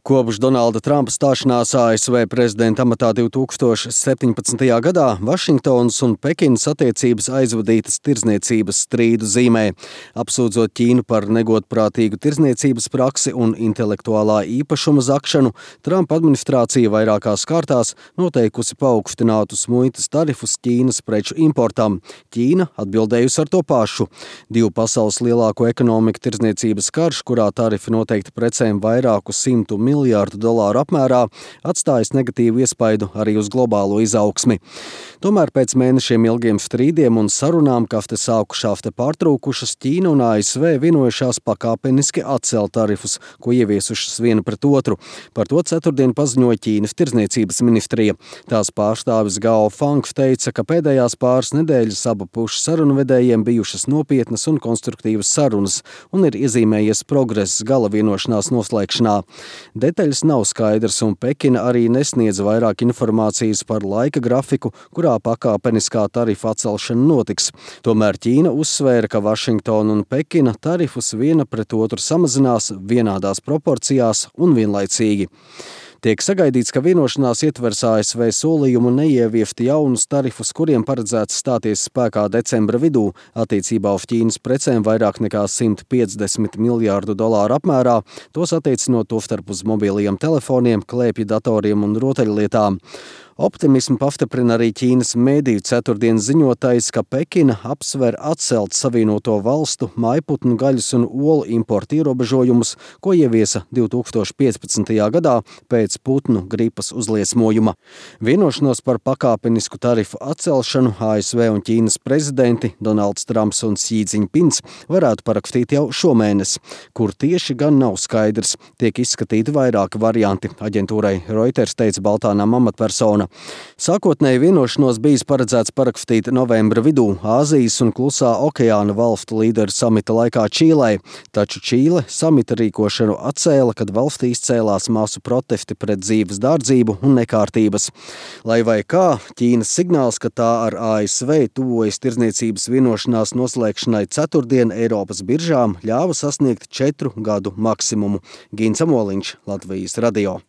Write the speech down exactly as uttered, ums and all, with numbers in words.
Kopš Donalda Trumpa stāšanās A S V prezidenta amatā divi tūkstoši septiņpadsmitajā gadā Vašingtonas un Pekinas attiecības aizvadītas tirdzniecības strīdu zīmē, apsūdzot Ķīnu par negodprātīgu tirdzniecības praksi un intelektuālā īpašuma zakšanu. Trumpa administrācija vairākās kārtās noteikusi paaugstinātus muitas tarifus Ķīnas preču importam. Ķīna atbildējusi ar to pašu. Divu pasaules lielāko ekonomiku tirdzniecības karš, kurā tarifi noteikti precēm vairāku simtu miljārdu dolāru apmērā, atstājis negatīvu iespaidu arī uz globālo izaugsmi. Tomēr pēc mēnešiem ilgiem strīdiem un sarunām kafte sāku šāfte pārtrūkušas, Ķīna un A S V vienojušās pakāpeniski atcelt tarifus, ko ieviesušas viena pret otru. Par to ceturtdien paziņoja Ķīnas tirdzniecības ministrija. Tās pārstāvis Gao Fang teica, ka pēdējās pāris nedēļas abu pušu sarunvedējiem bijušas nopietnas un konstruktīvas sarunas un ir iezīmējies progress gala vienošanās noslēgšanā. Detaļas nav skaidrs, un Pekina arī nesniedz vairāk informācijas par laika grafiku, kurā pakāpeniskā tarifa atcelšana notiks. Tomēr Ķīna uzsvēra, ka Vašingtona un Pekina tarifus viena pret otru samazinās vienādās proporcijās un vienlaicīgi. Tiek sagaidīts, ka vienošanās ietvers A S V solījumu neieviest jaunus tarifus, kuriem paredzēts stāties spēkā decembra vidū attiecībā uz Ķīnas precēm vairāk nekā simt piecdesmit miljārdu dolāru apmērā, tos attiecinot tostarp uz mobilajiem telefoniem, klēpju datoriem un rotaļlietām. Optimismu pastiprina arī Ķīnas mēdīju ceturtdien ziņotais, ka Pekina apsver atcelt Savienoto valstu mājputnu gaļas un olu importu ierobežojumus, ko ieviesa divi tūkstoši piecpadsmitajā gadā pēc putnu gripas uzliesmojuma. Vienošanos par pakāpenisku tarifu atcelšanu A S V un Ķīnas prezidenti Donalds Trumps un Xi Jinpings varētu parakstīt jau šomēnes, kur tieši gan nav skaidrs. Tiek izskatīti vairāki varianti, aģentūrai Reuters teica Baltānām amatpersona. Sākotnēji vienošanos bijis paredzēts parakstīt novembra vidū Āzijas un Klusā okeāna valstu līderu samita laikā Čīlē, taču Čīle samita rīkošanu atcēla, kad valstī izcēlās masu protesti pret dzīves dārdzību un nekārtības. Lai vai kā, Ķīnas signāls, ka tā ar A S V tuvojas tirdzniecības vienošanās noslēgšanai ceturtdien Eiropas biržām, ļāva sasniegt četru gadu maksimumu. Gins Amoliņš, Latvijas radio.